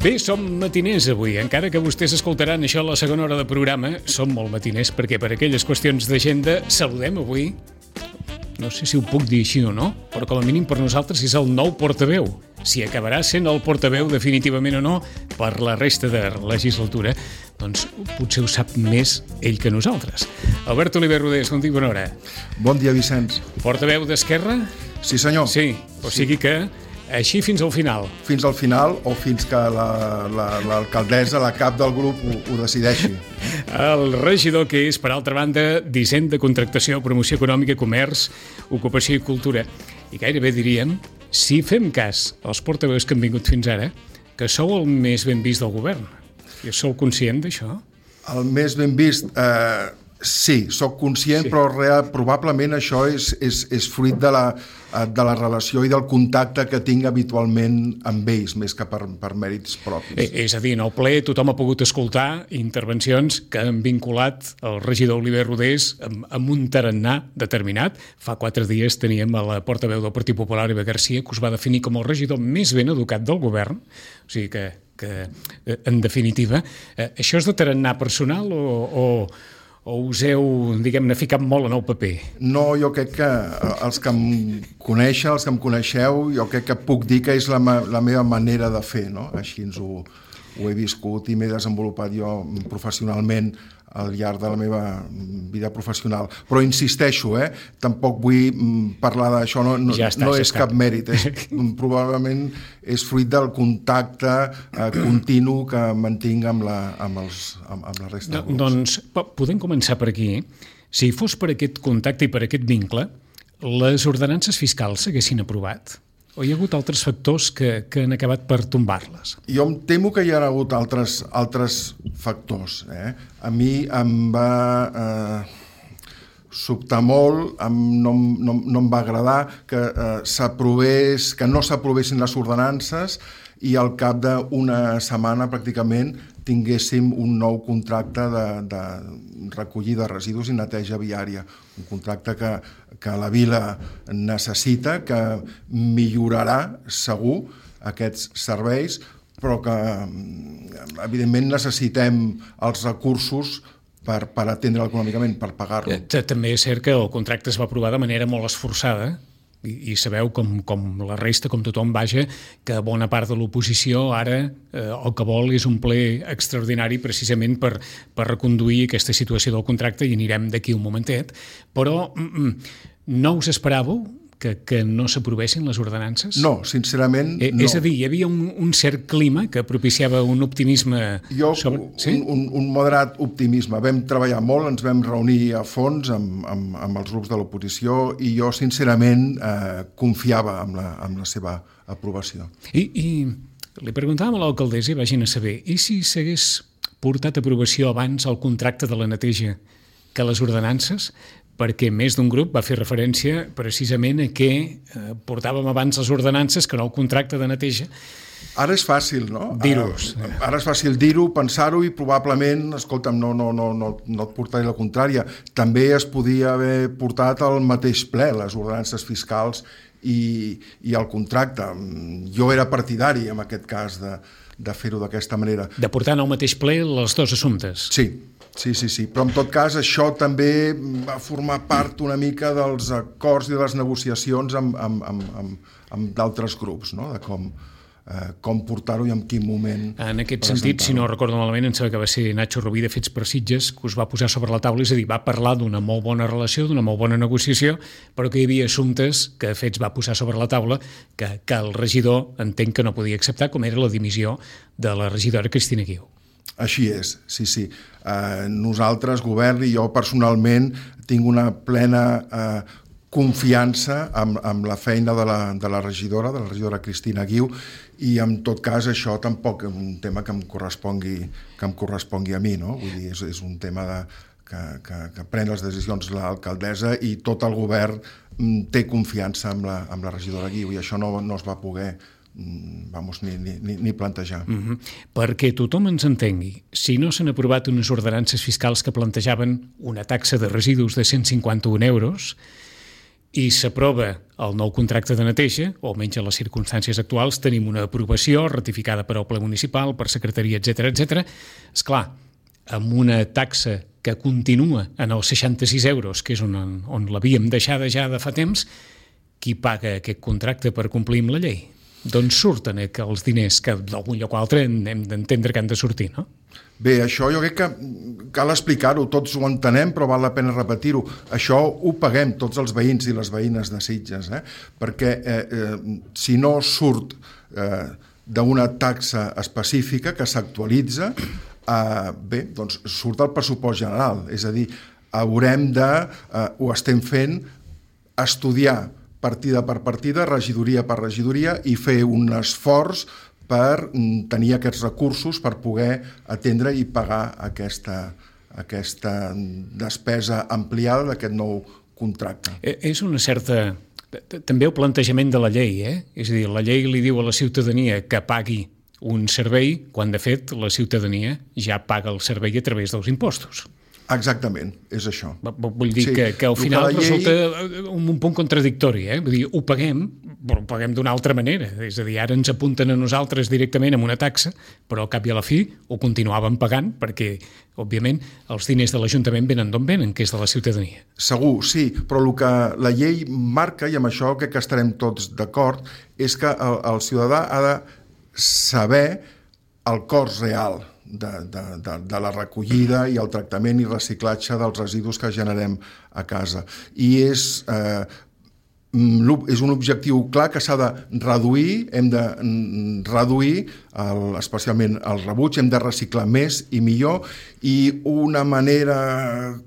Bé, som matiners avui, encara que vostès escoltaran això a la segona hora de programa, som molt matiners perquè per aquelles qüestions d'agenda saludem avui, no sé si ho puc dir així o no, però com a mínim per nosaltres és el nou portaveu. Si acabarà sent el portaveu definitivament o no per la resta de legislatura, doncs potser ho sap més ell que nosaltres. Albert Oliver Rodés, bon dia, bona hora. Bon dia, Vicenç. Portaveu d'Esquerra? Sí, senyor. Sí, o sigui que així fins al final. Fins al final o fins que l'alcaldessa, la cap del grup, ho decideixi. El regidor que és, per altra banda, d'Hisenda, Contractació, Promoció Econòmica, Comerç, Ocupació i Cultura. I gairebé diríem, si fem cas als portaveus que han vingut fins ara, que sou el més ben vist del govern. I sou conscient d'això? El més ben vist... Sí, sóc conscient, sí. Però probablement això és fruit de la relació i del contacte que tinc habitualment amb ells, més que per mèrits propis. És a dir, en el ple tothom ha pogut escoltar intervencions que han vinculat el regidor Oliver Rodés amb un tarannà determinat. Fa 4 dies teníem a la portaveu del Partit Popular, Eva Garcia, que us va definir com el regidor més ben educat del govern. O sigui que en definitiva, això és de tarannà personal o us heu, diguem-ne, ficat molt en el paper? No, jo crec que els que em coneixen, els que em coneixeu, jo crec que puc dir que és la meva manera de fer, no? Així ho he viscut i m'he desenvolupat jo professionalment al llarg de la meva vida professional. Però insisteixo, tampoc vull parlar d'això, no és cap mèrit. Probablement és fruit del contacte continu que mantinc amb la resta de grups. Doncs podem començar per aquí. Si fos per aquest contacte i per aquest vincle, les ordenances fiscals s'haguessin aprovat? O hi ha hagut altres factors que han acabat per tombar-les? Jo em temo que hi ha hagut altres factors. A mi em va sobtar molt, no em va agradar que no s'aprovessin les ordenances i al cap d'una setmana pràcticament tinguéssim un nou contracte de recollida de residus i neteja viària. Un contracte que la vila necessita, que millorarà segur aquests serveis, però que evidentment necessitem els recursos per atendre'l econòmicament, per pagar-lo. També és cert que el contracte es va aprovar de manera molt esforçada, i sabeu com la resta, com tothom, vaja, que bona part de l'oposició ara el que vol és un ple extraordinari precisament per reconduir aquesta situació del contracte, i anirem d'aquí un momentet, però no us esperàveu que no s'aprovessin les ordenances? No, sincerament no. És a dir, hi havia un cert clima que propiciava un optimisme... Un moderat optimisme. Vam treballar molt, ens vam reunir a fons amb els grups de l'oposició i jo sincerament confiava en la seva aprovació. I li preguntàvem a l'alcaldessa, i vagin a saber, i si s'hagués portat a aprovació abans el contracte de la neteja que les ordenances? Perquè més d'un grup va fer referència precisament a que portàvem abans les ordenances que no el contracte de neteja. Ara és fàcil, no? Dir-ho. Ara és fàcil dir-ho, pensar-ho i probablement, escolta'm, no et portaré la contrària. També es podia haver portat al mateix ple, les ordenances fiscals i el contracte. Jo era partidari, en aquest cas, de fer-ho d'aquesta manera. De portar al mateix ple els dos assumptes. Sí, però en tot cas això també va formar part una mica dels acords i de les negociacions amb d'altres grups, no? De com portar-ho i en quin moment en aquest sentit, si no recordo malament, em sembla que va ser Nacho Rubí de Fets per Sitges que us va posar sobre la taula, és a dir, va parlar d'una molt bona relació, d'una molt bona negociació, però que hi havia assumptes que Fets va posar sobre la taula que el regidor entenc que no podia acceptar, com era la dimissió de la regidora Cristina Guiu. Així és, sí. Nosaltres, govern i jo personalment, tinc una plena confiança amb la feina de la regidora Cristina Guiu, i en tot cas això tampoc és un tema que em correspongui a mi, no? Vull dir, és un tema que pren les decisions l'alcaldessa i tot el govern té confiança amb la regidora Guiu, i això no es va poder ni plantejar. Perquè tothom ens entengui, si no s'han aprovat unes ordenances fiscals que plantejaven una taxa de residus de 151 euros, i s'aprova el nou contracte de neteja, o almenys en les circumstàncies actuals tenim una aprovació ratificada per al ple municipal, per secretaria, etc. Esclar, amb una taxa que continua en els 66 euros, que és on l'havíem deixada ja de fa temps, qui paga aquest contracte per complir amb la llei? D'on surten els diners que d'algun lloc o altre hem d'entendre que han de sortir, no? Bé, això jo crec que cal explicar-ho, tots ho entenem, però val la pena repetir-ho. Això ho paguem tots els veïns i les veïnes de Sitges, perquè si no surt d'una taxa específica que s'actualitza, bé, doncs surt el pressupost general, és a dir, haurem de, ho estem fent, estudiar partida per partida, regidoria per regidoria i fer un esforç per tenir aquests recursos per poder atendre i pagar aquesta despesa ampliada d'aquest nou contracte. És una certa... També el plantejament de la llei, És a dir, la llei li diu a la ciutadania que pagui un servei quan, de fet, la ciutadania ja paga el servei a través dels impostos. Exactament, és això. Vull dir que al final resulta un punt contradictori, Vull dir, ho paguem, però ho paguem d'una altra manera. És a dir, ara ens apunten a nosaltres directament amb una taxa, però al cap i a la fi ho continuàvem pagant perquè, òbviament, els diners de l'Ajuntament venen d'on venen, que és de la ciutadania. Segur, sí, però el que la llei marca, i amb això crec que estarem tots d'acord, és que el ciutadà ha de saber el cost real de la recollida i el tractament i reciclatge dels residus que generem a casa. I és un objectiu clar que s'ha de reduir, hem de reduir especialment el rebuig, hem de reciclar més i millor, i una manera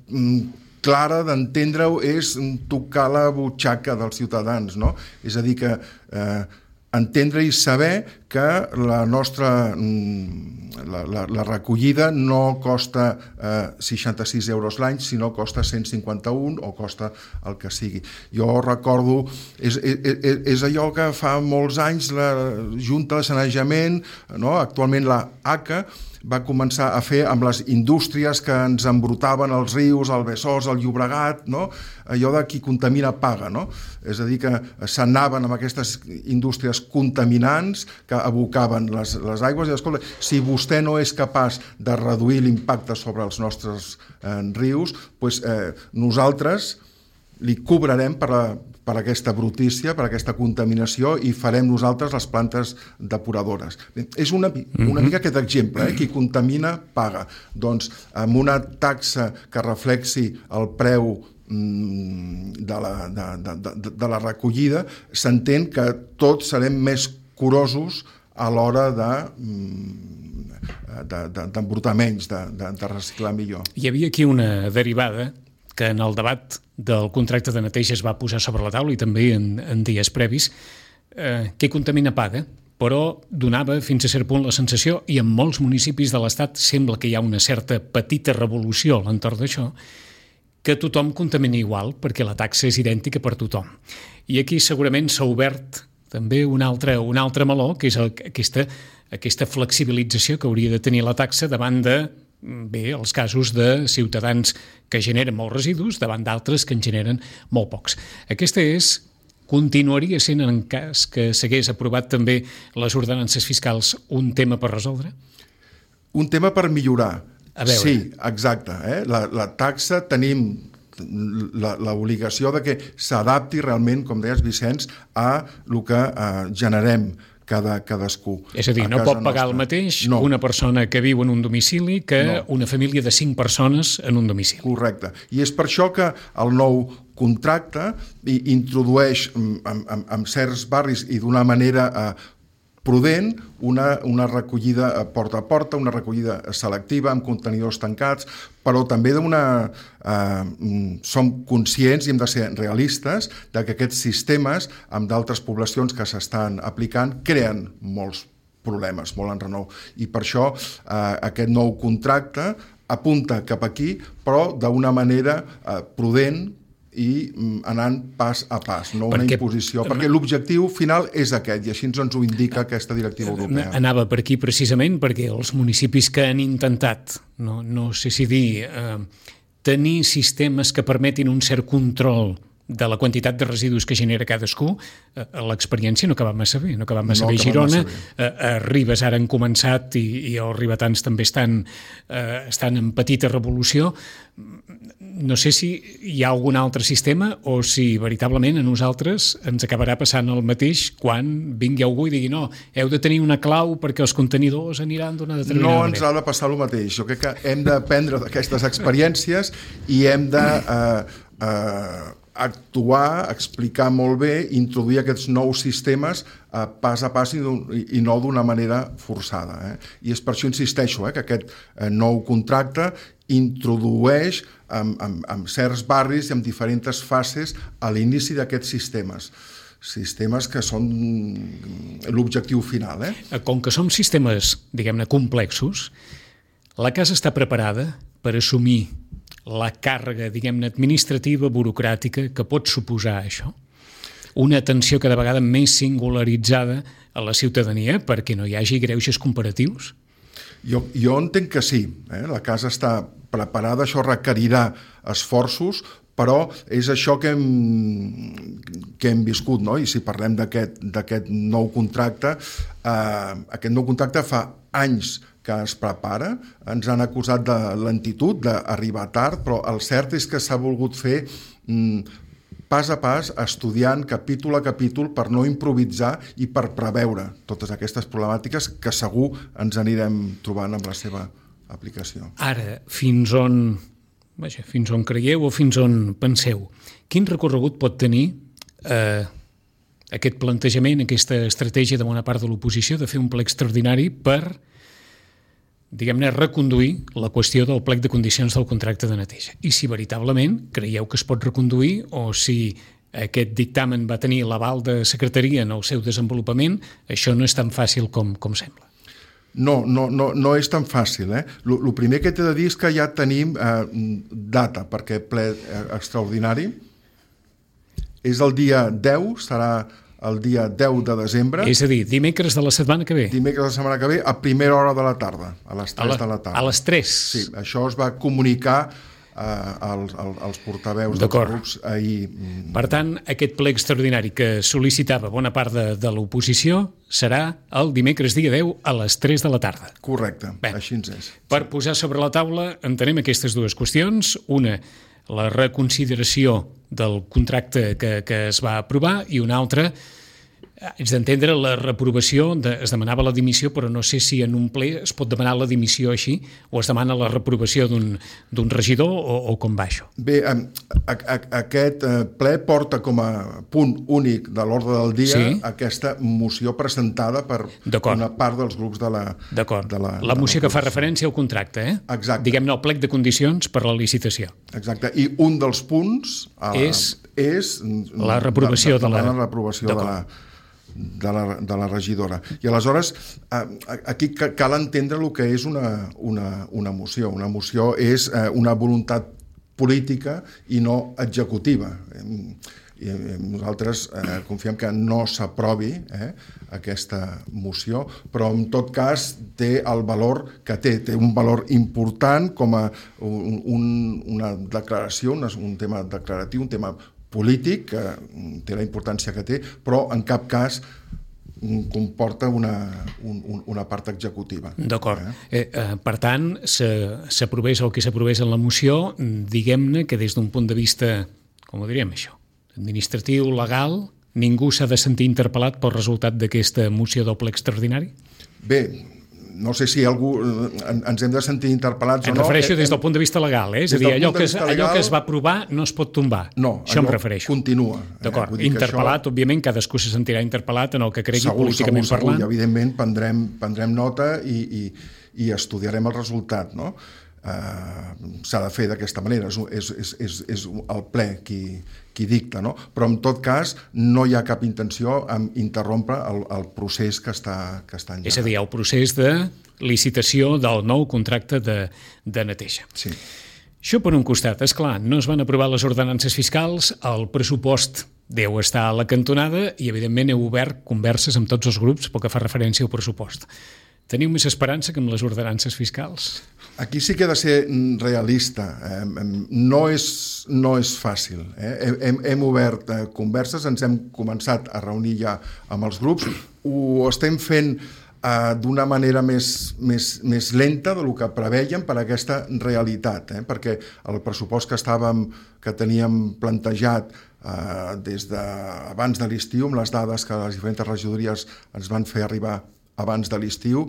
clara d'entendre-ho és tocar la butxaca dels ciutadans, no? És a dir, que entendre i saber que la nostra la recollida no costa 66 euros l'any, sinó costa 151 o costa el que sigui. Jo recordo, és allò que fa molts anys la Junta de Sanejament, no? Actualment la ACA, va començar a fer amb les indústries que ens embrutaven els rius, el Besòs, el Llobregat, no? Allò de qui contamina paga, no? És a dir, que s'anaven amb aquestes indústries contaminants que abocaven les aigües i escolta, si vostè no és capaç de reduir l'impacte sobre els nostres rius, doncs nosaltres li cobrarem per aquesta brutícia, per aquesta contaminació, i farem nosaltres les plantes depuradores. És una mica aquest exemple, qui contamina paga. Doncs amb una taxa que reflexi el preu de la recollida, s'entén que tots serem més curosos a l'hora d'embrutar menys, de reciclar millor. Hi havia aquí una derivada que en el debat del contracte de neteja es va posar sobre la taula i també en dies previs, qui contamina paga, però donava fins a cert punt la sensació, i en molts municipis de l'Estat sembla que hi ha una certa petita revolució a l'entorn d'això, que tothom contamina igual perquè la taxa és idèntica per tothom. I aquí segurament s'ha obert també un altre meló, que és aquesta flexibilització que hauria de tenir la taxa davant de els casos de ciutadans que generen molts residus davant d'altres que en generen molt pocs. Aquesta continuaria sent, en cas que s'hagués aprovat també les ordenances fiscals, un tema per resoldre? Un tema per millorar. A veure. Sí, exacte. La taxa tenim l'obligació de que s'adapti realment, com deies, Vicenç, a el que generem cadascú. És a dir, no pot pagar el mateix una persona que viu en un domicili que una família de 5 persones en un domicili. Correcte. I és per això que el nou contracte introdueix en certs barris i d'una manera prudent una recollida porta a porta, una recollida selectiva amb contenidors tancats, però també som conscients i hem de ser realistes de que aquests sistemes amb d'altres poblacions que s'estan aplicant creen molts problemes, molt enrenou. I per això aquest nou contracte apunta cap aquí, però d'una manera prudent i anant pas a pas, no una imposició, perquè l'objectiu final és aquest, i així ens ho indica aquesta directiva europea. Anava per aquí precisament perquè els municipis que han intentat, no sé si dir, tenir sistemes que permetin un cert control de la quantitat de residus que genera cadascú, l'experiència no acaba massa bé. No acaba massa bé a Girona. A Ribes ara han començat i els ribetans també estan en petita revolució. No sé si hi ha algun altre sistema o si veritablement a nosaltres ens acabarà passant el mateix quan vingui algú i digui no, heu de tenir una clau perquè els contenidors aniran d'una determinada manera. No ens ha de passar el mateix. Jo crec que hem d'aprendre d'aquestes experiències i hem de actuar, explicar molt bé, introduir aquests nous sistemes pas a pas i no d'una manera forçada. I és per això insisteixo que aquest nou contracte introdueix en certs barris i en diferents fases a l'inici d'aquests sistemes que són l'objectiu final. Com que som sistemes, diguem-ne, complexos, la casa està preparada per assumir la càrrega, diguem-ne, administrativa, burocràtica que pot suposar això? Una atenció cada vegada més singularitzada a la ciutadania perquè no hi hagi greuges comparatius? Jo entenc que sí. La casa està preparada, això requerirà esforços, però és això que hem viscut, no? I si parlem d'aquest nou contracte, aquest nou contracte fa anys que es prepara, ens han acusat de lentitud, d'arribar tard, però el cert és que s'ha volgut fer pas a pas, estudiant capítol a capítol per no improvisar i per preveure totes aquestes problemàtiques que segur ens anirem trobant amb la seva aplicació. Ara, fins on creieu o fins on penseu? Quin recorregut pot tenir aquest plantejament, aquesta estratègia de bona part de l'oposició de fer un ple extraordinari per, diguem-ne, reconduir la qüestió del plec de condicions del contracte de neteja? I si veritablement creieu que es pot reconduir o si aquest dictamen va tenir l'aval de secretaria en el seu desenvolupament, això no és tan fàcil com sembla. No és tan fàcil. El primer que t'he de dir és que ja tenim data per aquest ple extraordinari. És el dia 10, serà el dia 10 de desembre. És a dir, dimecres de la setmana que ve. Dimecres de la setmana que ve, a primera hora de la tarda, a les 3 de la tarda. A les 3? Sí, això es va comunicar als portaveus dels grups ahir. Per tant, aquest ple extraordinari que sol·licitava bona part de l'oposició serà el dimecres dia 10 a les 3 de la tarda. Correcte, així ens és. Per posar sobre la taula entenem aquestes dues qüestions. Una, la reconsideració del contracte que es va aprovar, i una altra, és d'entendre la reprovació, es demanava la dimissió, però no sé si en un ple es pot demanar la dimissió així, o es demana la reprovació d'un regidor, o com va això? Bé, aquest ple porta com a punt únic de l'ordre del dia aquesta moció presentada per una part dels grups de la... D'acord, la moció que fa referència al contracte, Exacte. Diguem-ne, el plec de condicions per la licitació. Exacte, i un dels punts és la reprovació de la regidora. I aleshores, aquí cal entendre el que és una moció. Una moció és una voluntat política i no executiva. I nosaltres confiem que no s'aprovi aquesta moció, però en tot cas té el valor que té un valor important com a una declaració, un tema declaratiu, un tema polític, que té la importància que té, però en cap cas comporta una part executiva. D'acord. Per tant, s'aprovés el que s'aprovés en la moció, diguem-ne que des d'un punt de vista, com ho diríem això, administratiu, legal, ningú s'ha de sentir interpel·lat pel resultat d'aquesta moció del ple extraordinari? Bé, no sé si algú ens hem de sentir interpel·lats o no. Em refereixo des del punt de vista legal, és a dir, allò que es va aprovar no es pot tombar. No, això em refereixo. Continua. D'acord, interpel·lat, òbviament, cadascú se sentirà interpel·lat en el que cregui políticament parlant. Segur, i evidentment prendrem nota i estudiarem el resultat, no? S'ha de fer d'aquesta manera, és el ple qui dicta, no? Però en tot cas no hi ha cap intenció en interrompre el procés que està engegat. És a dir, el procés de licitació del nou contracte de neteja. Sí. Això per un costat, esclar, no es van aprovar les ordenances fiscals, el pressupost deu estar a la cantonada i evidentment heu obert converses amb tots els grups pel que fa referència al pressupost. Teniu més esperança que amb les ordenances fiscals? Aquí sí que he de ser realista. No és fàcil. Hem obert converses, ens hem començat a reunir ja amb els grups, ho estem fent d'una manera més lenta del que preveiem per aquesta realitat, perquè el pressupost que teníem plantejat des d'abans de l'estiu, amb les dades que les diferents regidories ens van fer arribar abans de l'estiu,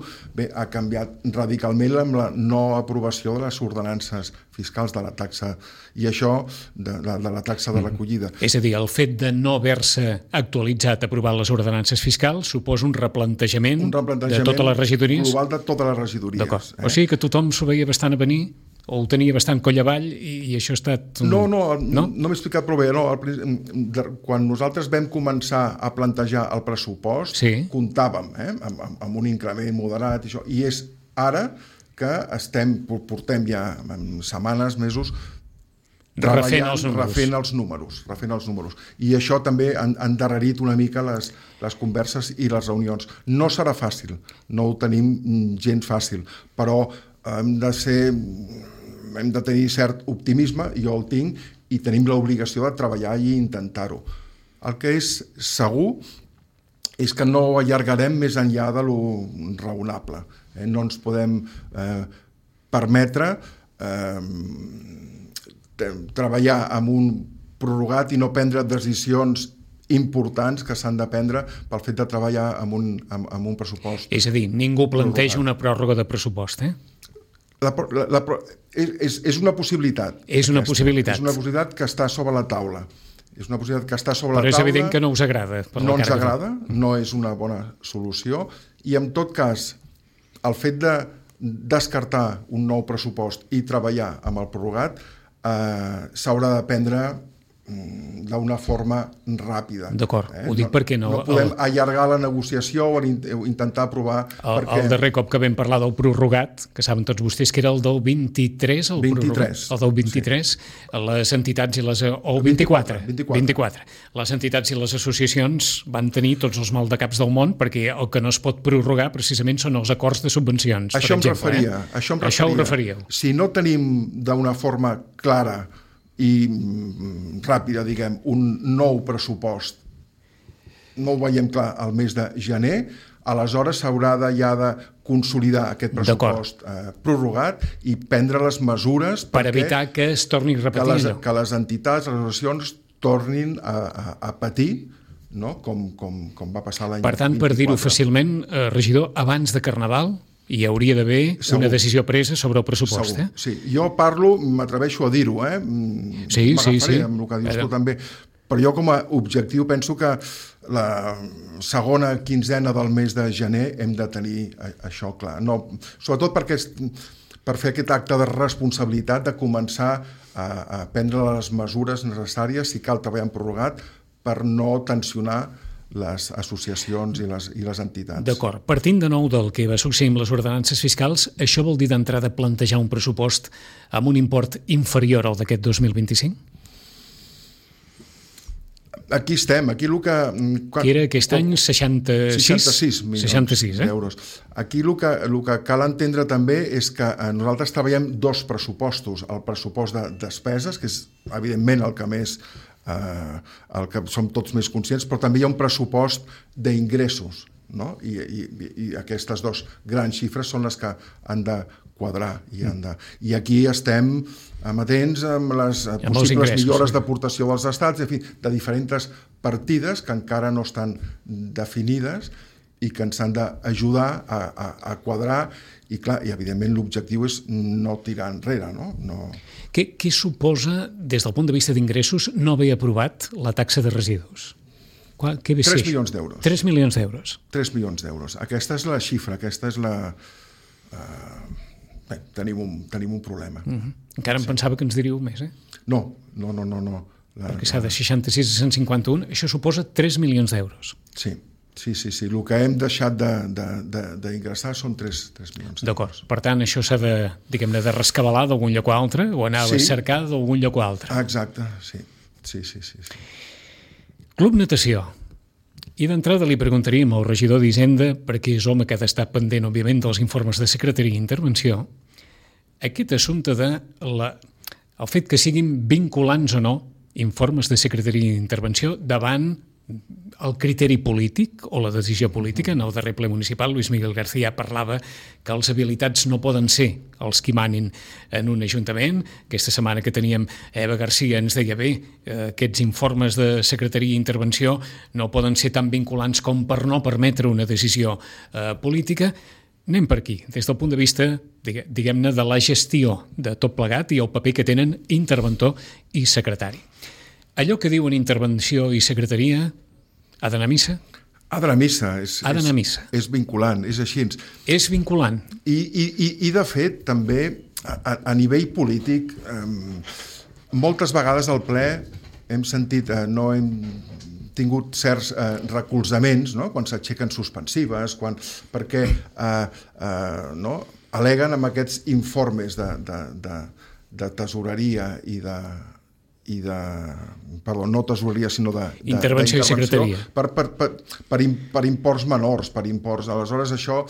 ha canviat radicalment amb la no aprovació de les ordenances fiscals de la taxa, i això de la taxa de recollida. És a dir, el fet de no haver-se actualitzat, aprovat les ordenances fiscals, suposa un replantejament de totes les regidories? Global de totes les regidories. D'acord. O sigui que tothom s'ho veia bastant a venir, o ho tenia bastant coll avall, i això ha estat... No m'he explicat prou bé. Quan nosaltres vam començar a plantejar el pressupost, comptàvem amb un increment moderat, i és ara que portem ja setmanes, mesos, refent els números. I això també ha endarrerit una mica les converses i les reunions. No serà fàcil, no ho tenim gens fàcil, però hem de tenir cert optimisme, jo el tinc, i tenim l'obligació de treballar i intentar-ho. El que és segur és que no allargarem més enllà de lo raonable. No ens podem permetre treballar amb un prorrogat i no prendre decisions importants que s'han de prendre pel fet de treballar amb un pressupost. És a dir, ningú planteja una pròrroga de pressupost, És una possibilitat. És una possibilitat. És una possibilitat que està sobre la taula. Però és evident que no us agrada. No ens agrada, no és una bona solució, i en tot cas, el fet de descartar un nou pressupost i treballar amb el prorrogat s'haurà de prendre d'una forma ràpida. D'acord, ho dic perquè no... No podem allargar la negociació o intentar aprovar... El darrer cop que vam parlar del prorrogat, que saben tots vostès que era el del 23, el del 23, les entitats i les... o el 24. Les entitats i les associacions van tenir tots els maldecaps del món, perquè el que no es pot prorrogar precisament són els acords de subvencions. Això em referia. Si no tenim d'una forma clara i ràpida, diguem, un nou pressupost, no ho veiem clar al mes de gener, aleshores s'haurà ja de consolidar aquest pressupost prorrogat i prendre les mesures per evitar que es torni a repetir que les entitats, les associacions tornin a patir, com va passar l'any 2024. Per tant, per dir-ho fàcilment, regidor, abans de Carnaval hi hauria d'haver una decisió presa sobre el pressupost. Sí, jo m'atreveixo a dir-ho, m'agafaré amb el que dius tu també, però jo com a objectiu penso que la segona quinzena del mes de gener hem de tenir això clar. Sobretot per fer aquest acte de responsabilitat de començar a prendre les mesures necessàries, si cal treballar en prorrogat, per no tensionar les associacions i les entitats. D'acord. Partint de nou del que va succeir amb les ordenances fiscals, això vol dir d'entrada plantejar un pressupost amb un import inferior al d'aquest 2025? Aquí estem, aquí el que... Que era aquest any 66 milions d'euros. Aquí el que cal entendre també és que nosaltres treballem dos pressupostos, el pressupost de despeses, que és evidentment el que més el que som tots més conscients, però també hi ha un pressupost d'ingressos, i aquestes dues grans xifres són les que han de quadrar i aquí estem amatents amb les possibles millores d'aportació dels estats, en fi, de diferents partides que encara no estan definides i que ens han d'ajudar a quadrar i, clar, i evidentment l'objectiu és no tirar enrere, no? Què suposa, des del punt de vista d'ingressos, no haver aprovat la taxa de residus? 3 milions d'euros. 3 milions d'euros. 3 milions d'euros. Aquesta és la xifra, aquesta és la... Tenim un problema. Encara em pensava que ens diríeu més, No. Perquè s'ha de 66 a 151, això suposa 3 milions d'euros. Sí. El que hem deixat d'ingressar són 3 milions. D'acord. Per tant, això s'ha de, diguem-ne, de rescabalar d'algun lloc o altre, o anar a cercar d'algun lloc o altre. Exacte, sí. Club Natació. I d'entrada li preguntaríem al regidor d'Hisenda, perquè és home que ha d'estar pendent, òbviament, dels informes de secretaria i intervenció, aquest assumpte de el fet que siguin vinculants o no informes de secretaria i intervenció davant el criteri polític o la decisió política. En el darrer ple municipal, Luis Miguel García parlava que els habilitats no poden ser els qui manin en un ajuntament. Aquesta setmana que teníem Eva García ens deia bé, aquests informes de secretaria i intervenció no poden ser tan vinculants com per no permetre una decisió política. Anem per aquí, des del punt de vista, diguem-ne, de la gestió de tot plegat i el paper que tenen interventor i secretari. Allò que diuen intervenció i secretaria ha d'anar a missa? Ha d'anar a missa. Ha d'anar a missa. És vinculant, és així. És vinculant. I de fet, també, a nivell polític, moltes vegades al ple hem sentit, no hem tingut certs recolzaments, no? Quan s'aixequen suspensives, perquè aleguen amb aquests informes de tesoreria no tesoreria, sinó intervenció i secretaria. Per imports menors, aleshores això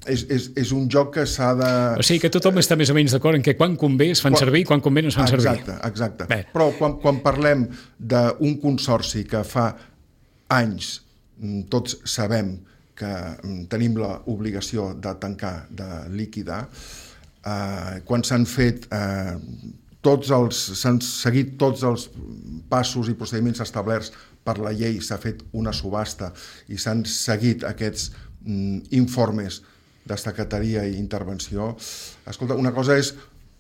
és un joc que s'ha de... O sigui que tothom està més o menys d'acord en que quan convé es fan servir i quan convé no es fan servir. Exacte. Però quan parlem d'un consorci que fa anys tots sabem que tenim l'obligació de tancar, de liquidar, quan s'han fet s'han seguit tots els passos i procediments establerts per la llei, s'ha fet una subhasta i s'han seguit aquests informes de secretaria i intervenció. Escolta, una cosa és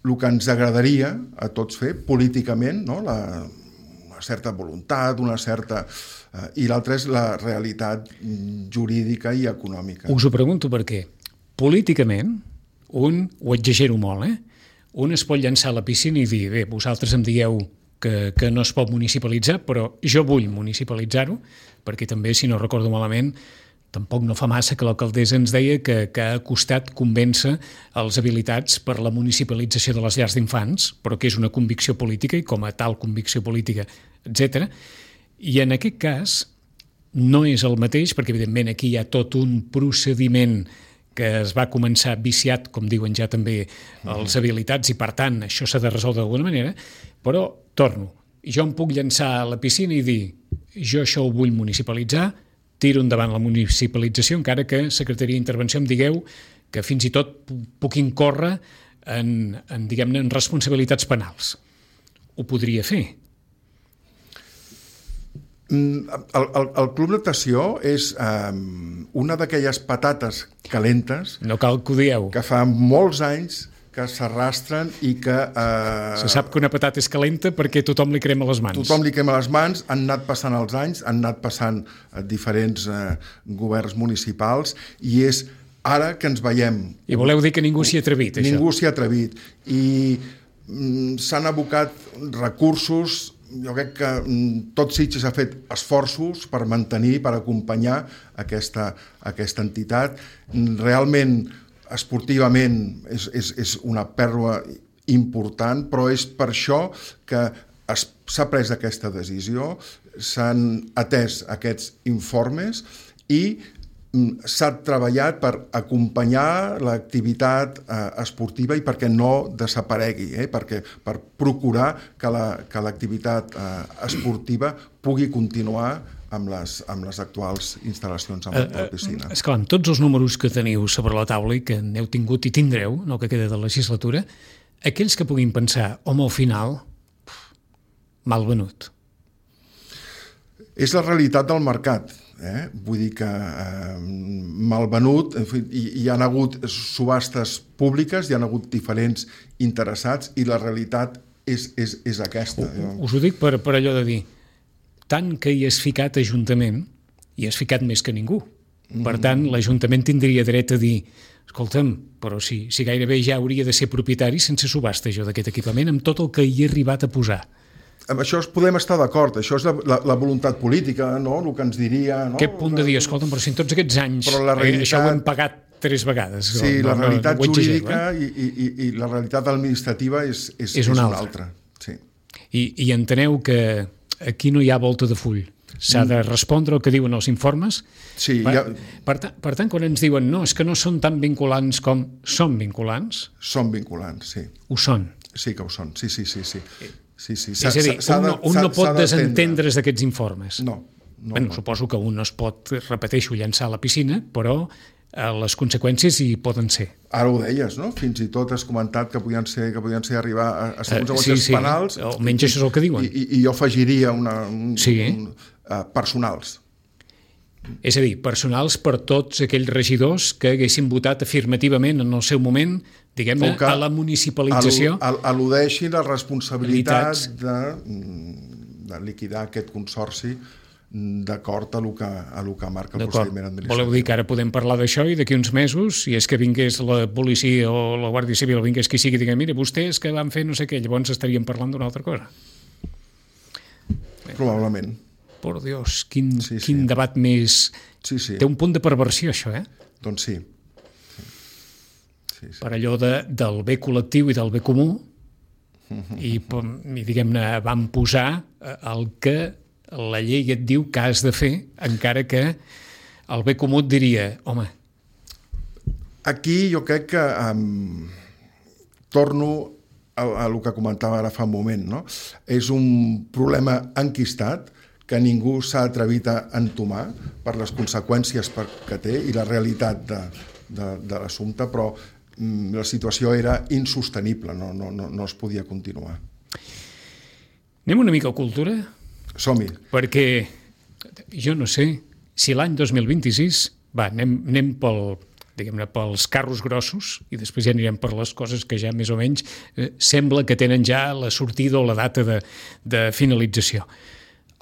el que ens agradaria a tots fer políticament, no? Una certa voluntat, i l'altra és la realitat jurídica i econòmica. Us ho pregunto perquè políticament, ho exagero molt, un es pot llançar a la piscina i dir, bé, vosaltres em dieu que no es pot municipalitzar, però jo vull municipalitzar-ho, perquè també, si no recordo malament, tampoc no fa massa que l'alcaldessa ens deia que ha costat convèncer els habilitats per la municipalització de les llars d'infants, però que és una convicció política i com a tal convicció política, etc. I en aquest cas no és el mateix, perquè evidentment aquí hi ha tot un procediment que es va començar viciat, com diuen ja també els habilitats, i per tant això s'ha de resoldre d'alguna manera, però torno, jo em puc llançar a la piscina i dir jo això ho vull municipalitzar, tiro endavant la municipalització, encara que Secretaria d'Intervenció em digueu que fins i tot puc incórrer en responsabilitats penals. Ho podria fer. El club natació és una d'aquelles patates calentes, no cal que ho dieu, que fa molts anys que s'arrastren i que... Se sap que una patata és calenta perquè tothom li crema les mans. Tothom li crema les mans, han anat passant els anys, han anat passant diferents governs municipals i és ara que ens veiem... I voleu dir que ningú s'hi ha atrevit, això? Ningú s'hi ha atrevit. I s'han abocat recursos. Jo crec que tot Sitges ha fet esforços per mantenir, per acompanyar aquesta entitat. Realment, esportivament, és una pèrdua important, però és per això que s'ha pres aquesta decisió, s'han atès aquests informes i s'ha treballat per acompanyar l'activitat esportiva i perquè no desaparegui, per procurar que l'activitat esportiva pugui continuar amb les actuals instal·lacions a la piscina. Esclar, amb tots els números que teniu sobre la taula i que n'heu tingut i tindreu, no que queda de legislatura, aquells que puguin pensar, home, al final, mal venut. És la realitat del mercat. Vull dir que mal venut, hi ha hagut subhastes públiques, hi ha hagut diferents interessats i la realitat és aquesta. Us ho dic per allò de dir, tant que hi has ficat Ajuntament, hi has ficat més que ningú. Per tant, l'Ajuntament tindria dret a dir, escolta'm, però si gairebé ja hauria de ser propietari sense subhasta jo d'aquest equipament, amb tot el que hi he arribat a posar. Amb això podem estar d'acord, això és la voluntat política, no? El que ens diria... No? Aquest punt de dir, escolta'm, però si en tots aquests anys això ho hem pagat 3 vegades. Sí, la realitat jurídica i la realitat administrativa és una altra. Sí. I enteneu que aquí no hi ha volta de full. S'ha de respondre el que diuen els informes. Sí, per tant, quan ens diuen no, és que no són tan vinculants com són vinculants... Són vinculants, sí. Ho són. Sí que ho són, sí. Sí. És a dir, un no pot desentendre's d'aquests informes. No. Suposo que un no es pot, repeteixo, llançar a la piscina, però les conseqüències hi poden ser. Ara ho deies, no? Fins i tot has comentat que podien ser arribar a ser conseqüències penals. Almenys això és el que diuen. I jo afegiria personals. És a dir, personals per tots aquells regidors que haguessin votat afirmativament en el seu moment, diguem-ne, a la municipalització. Al·ludeixin la responsabilitat de liquidar aquest consorci d'acord a lo que marca el procediment administratiu. Voleu dir que ara podem parlar d'això i d'aquí uns mesos, si és que vingués la policia o la Guàrdia Civil o vingués qui sigui, diguem, mira, vostès que van fer no sé què, llavors estaríem parlant d'una altra cosa. Probablement. Por Dios, quin debat més... Sí. Té un punt de perversió, això, eh? Doncs sí. Per allò del bé col·lectiu i del bé comú, i diguem-ne, van posar el que la llei et diu que has de fer, encara que el bé comú et diria, home... Aquí jo crec que torno a el que comentava ara fa un moment, no? És un problema enquistat que ningú s'ha atrevit a entomar per les conseqüències que té i la realitat de l'assumpte, però la situació era insostenible, no es podia continuar. Anem una mica a cultura? Som-hi. Perquè jo no sé si l'any 2026, anem pels carros grossos i després ja anirem per les coses que ja més o menys sembla que tenen ja la sortida o la data de finalització.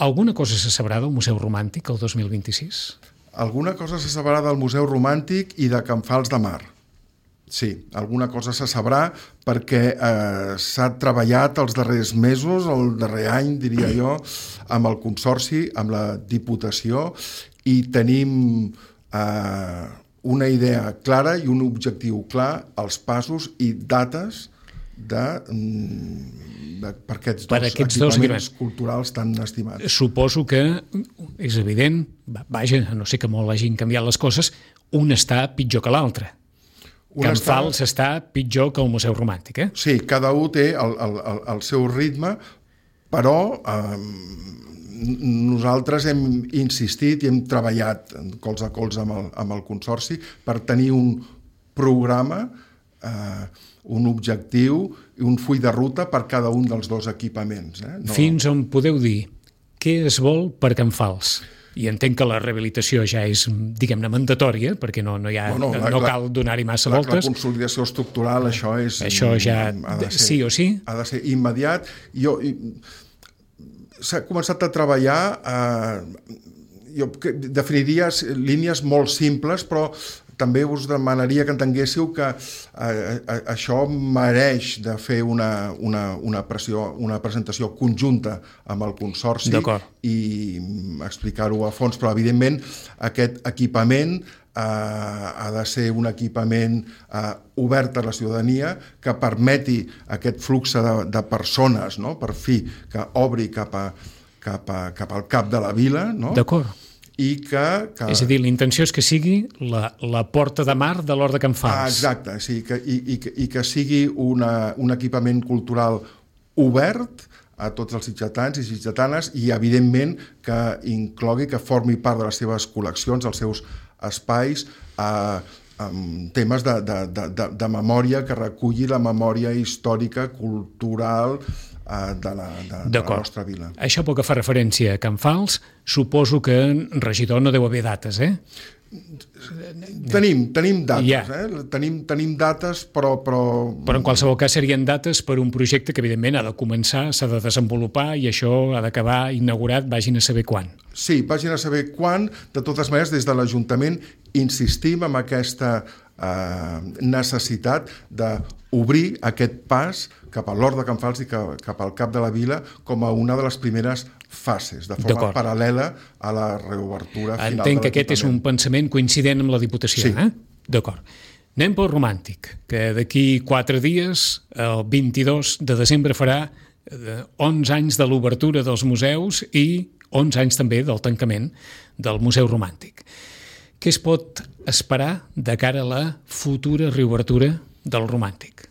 Alguna cosa se sabrà del Museu Romàntic el 2026? Alguna cosa se sabrà del Museu Romàntic i de Can Fals de Mar. Sí, alguna cosa se sabrà perquè s'ha treballat els darrers mesos, el darrer any, diria jo, amb el Consorci, amb la Diputació, i tenim una idea clara i un objectiu clar, els passos i dates per aquests dos equipaments culturals tan estimats. Suposo que és evident, vaja, a no sé que molt hagin canviat les coses, un està pitjor que l'altre. Can Fals està pitjor que el Museu Romàntic, eh? Sí, cada un té el seu ritme, però nosaltres hem insistit i hem treballat colze a colze amb el Consorci per tenir un programa, un objectiu i un full de ruta per cada un dels dos equipaments. Fins on podeu dir què es vol per Can Fals? I entenc que la rehabilitació ja és, diguem-ne, mandatòria, perquè no cal donar-hi massa voltes. La consolidació estructural, això ja, sí o sí? Ha de ser immediat. S'ha començat a treballar, jo definiria línies molt simples, però també us demanaria que entenguéssiu que això mereix de fer una presentació conjunta amb el Consorci i explicar-ho a fons, però evidentment aquest equipament ha de ser un equipament obert a la ciutadania que permeti aquest flux de persones, no? Per fi, que obri cap al cap de la vila, no? D'acord. És a dir, la intenció és que sigui la porta de mar de l'Hort de Can Fals. Exacte, sí, i que sigui un equipament cultural obert a tots els sitgetans i sitgetanes i, evidentment, que inclogui, que formi part de les seves col·leccions, dels seus espais, temes de memòria, que reculli la memòria històrica, cultural de la nostra vila. Això pel que fa referència a Can Fals, suposo que regidor no deu haver dates, eh? Tenim dates, tenim dates, però... Però en qualsevol cas serien dates per un projecte que evidentment ha de començar, s'ha de desenvolupar i això ha d'acabar inaugurat, vagin a saber quan. Sí, vagin a saber quan. De totes maneres, des de l'Ajuntament insistim en aquesta necessitat d'obrir aquest pas cap a l'Hort de Can Fals i cap al cap de la vila com a una de les primeres fases, de forma paral·lela a la reobertura final de l'Ajuntament. Entenc que aquest és un pensament coincident amb la Diputació, sí. D'acord. Anem pel Romàntic, que d'aquí 4 dies, el 22 de desembre, farà 11 anys de l'obertura dels museus i 11 anys també del tancament del Museu Romàntic. Què es pot esperar de cara a la futura reobertura del Romàntic?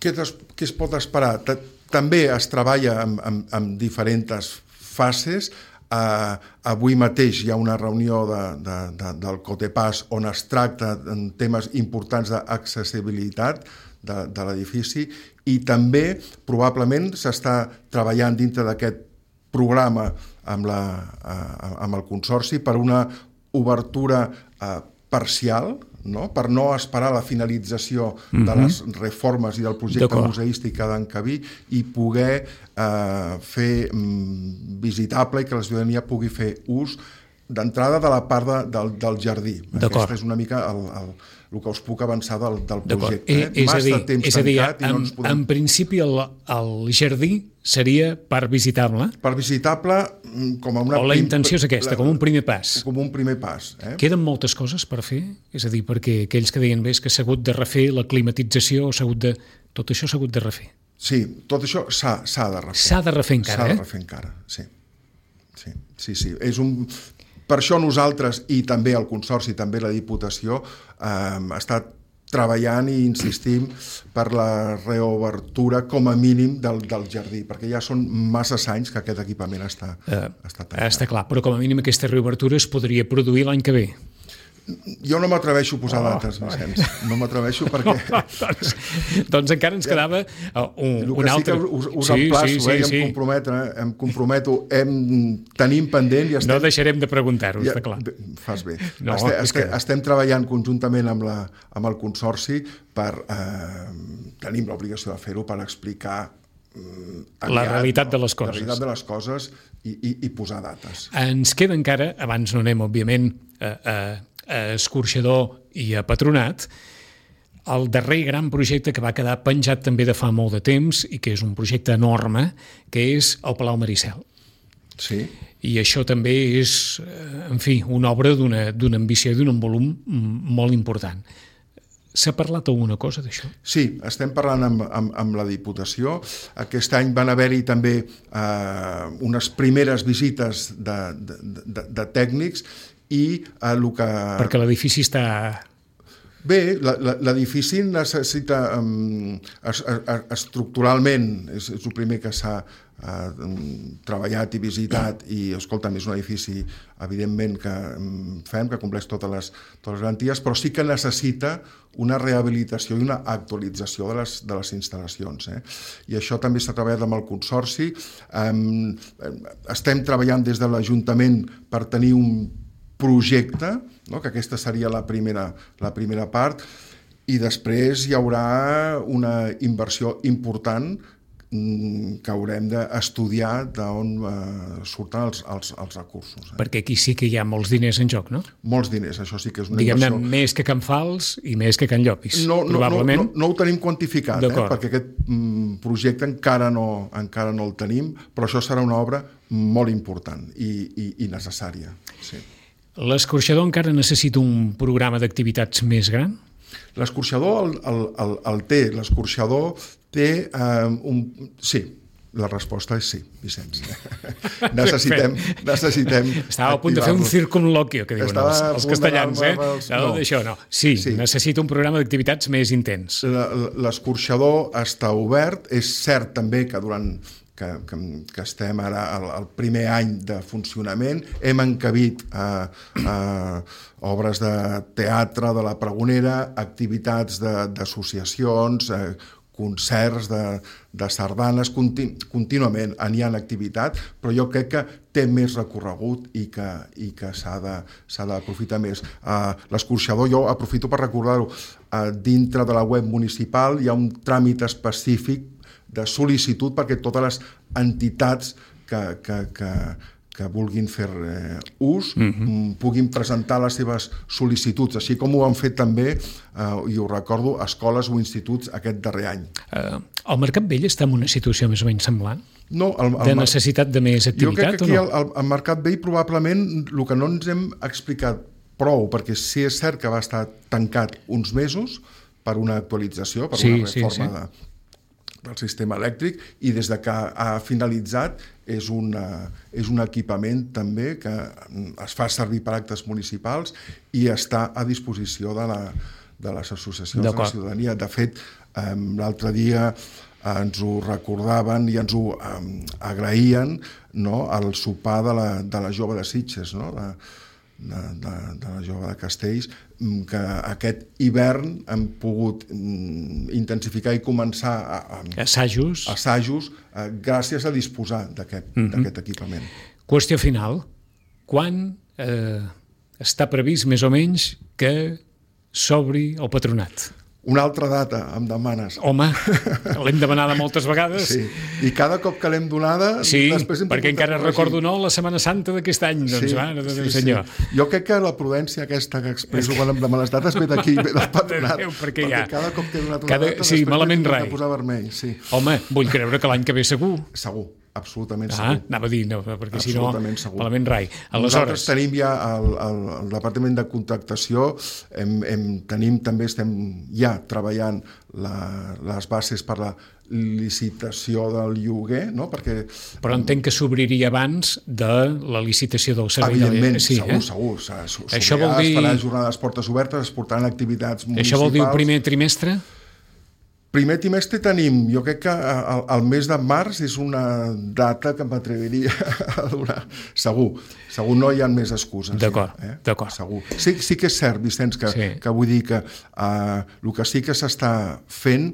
Què es pot esperar? També es treballa en diferents fases. Avui mateix hi ha una reunió del COTEPAS on es tracta temes importants d'accessibilitat de l'edifici i també probablement s'està treballant dintre d'aquest programa amb el Consorci per una obertura parcial, no? Per no esperar la finalització de les reformes i del projecte museístic que ha d'encabir i poder fer visitable i que la ciutadania pugui fer ús d'entrada de la part del jardí. Aquest és una mica el que us puc avançar del projecte. És a dir, en principi el jardí seria part visitable? Part visitable com a una... O la intenció és aquesta, com un primer pas? Com un primer pas. Queden moltes coses per fer? És a dir, perquè aquells que deien bé és que s'ha hagut de refer la climatització, tot això s'ha hagut de refer. Sí, tot això s'ha de refer. S'ha de refer encara, S'ha de refer encara, sí. Per això nosaltres, i també el Consorci, també la Diputació, ha estat treballant i insistim per la reobertura com a mínim del jardí, perquè ja són masses anys que aquest equipament està tancat. Està clar, però com a mínim aquesta reobertura es podria produir l'any que ve. Jo no m'atreveixo a posar dates, Vicenç. No m'atreveixo perquè... Doncs encara ens quedava un altre... El que sí que us emplaço, em comprometo, tenim pendent i estem... No deixarem de preguntar-ho, està clar. Fas bé. Estem treballant conjuntament amb el Consorci per... Tenim l'obligació de fer-ho per explicar la realitat de les coses. La realitat de les coses i posar dates. Ens queda encara, abans no anem, òbviament, a Escorxador i a Patronat, el darrer gran projecte que va quedar penjat també de fa molt de temps i que és un projecte enorme, que és el Palau Maricel. Sí. I això també és, en fi, una obra d'una ambició i d'un volum molt important. S'ha parlat alguna cosa d'això? Sí, estem parlant amb la Diputació. Aquest any van haver-hi també unes primeres visites de tècnics i el que... Perquè l'edifici està... Bé, l'edifici necessita estructuralment, és el primer que s'ha treballat i visitat i, escolta'm, és un edifici evidentment que fem, que compleix totes les garanties, però sí que necessita una rehabilitació i una actualització de les instal·lacions. I això també s'ha treballat amb el Consorci. Estem treballant des de l'Ajuntament per tenir un projecte, no? Que aquesta seria la primera part, i després hi haurà una inversió important que haurem d'estudiar d'on surten els recursos. Perquè aquí sí que hi ha molts diners en joc, no? Molts diners, això sí que és una inversió. Diguem-ne, més que Can Fals i més que Can Llopis, probablement. No ho tenim quantificat, perquè aquest projecte encara no el tenim, però això serà una obra molt important i necessària, sí. L'escorxador encara necessita un programa d'activitats més gran? L'escorxador el té. L'escorxador té Sí, la resposta és sí, Vicenç. Necessitem Estava a punt de fer un circunloquio, que diuen els castellans, D'això no. Sí, necessita un programa d'activitats més intens. L'escorxador està obert. És cert també que durant que estem ara al primer any de funcionament, hem encabit obres de teatre, de la Pregonera, activitats d'associacions, concerts de sardanes, contínuament n'hi ha activitat, però jo crec que té més recorregut i que s'ha d'aprofitar més. L'escorxador, jo aprofito per recordar-ho, dintre de la web municipal hi ha un tràmit específic de sol·licitud perquè totes les entitats que vulguin fer ús puguin presentar les seves sol·licituds, així com ho han fet també, i ho recordo, escoles o instituts aquest darrer any. El Mercat Vell està en una situació més o menys semblant? No, de necessitat de més activitat o no? Jo crec que aquí al Mercat Vell probablement el que no ens hem explicat prou, perquè sí és cert que va estar tancat uns mesos per una actualització, per una reforma del sistema elèctric, i des de que ha finalitzat és un equipament també que es fa servir per actes municipals i està a disposició de les associacions de la ciutadania. De fet, l'altre dia ens ho recordaven i ens ho agraïen, no?, al sopar de la jove de Sitges, no?, de la jove de Castells, que aquest hivern hem pogut intensificar i començar assajos gràcies a disposar d'aquest equipament. Qüestió final. Quan està previst més o menys que s'obri el Patronat? Una altra data, em demanes. Home, l'hem demanada moltes vegades. Sí, i cada cop que l'hem donada... Sí, perquè encara recordo la Setmana Santa d'aquest any, doncs, mare de Déu senyor. Jo crec que la prudència aquesta que expresso quan em demanes dates ve d'aquí, ve del Patronat. Perquè cada cop que he donat una data, sí, malament rai. Posar vermell. Sí. Home, vull creure que l'any que ve segur. Segur. Absolutament segur. Anava a dir, no, perquè si no, malament rai. Nosaltres tenim ja el Departament de Contractació, estem ja treballant les bases per la licitació del lloguer, no? Però entenc que s'obriria abans de la licitació del servei. Evidentment, segur. Això vol dir... Es faran jornades portes obertes, es portaran activitats municipals. Això vol dir el primer trimestre? Primer trimestre tenim, jo crec que el mes de març és una data que m'atreviria a donar. Segur no hi ha més excuses. D'acord. Segur. Sí que és cert, Vicenç, que vull dir que el que sí que s'està fent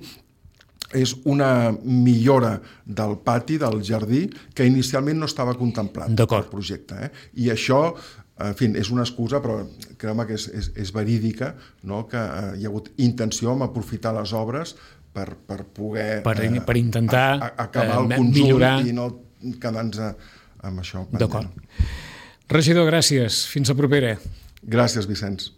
és una millora del pati, del jardí, que inicialment no estava contemplat pel projecte. I això, en fi, és una excusa, però creu-me que és verídica, no?, que hi ha hagut intenció en aprofitar les obres per poder per intentar acabar el conjunt millorar. I no quedar-nos amb això pendent. D'acord. Regidor, gràcies. Fins la propera. Gràcies, Vicenç.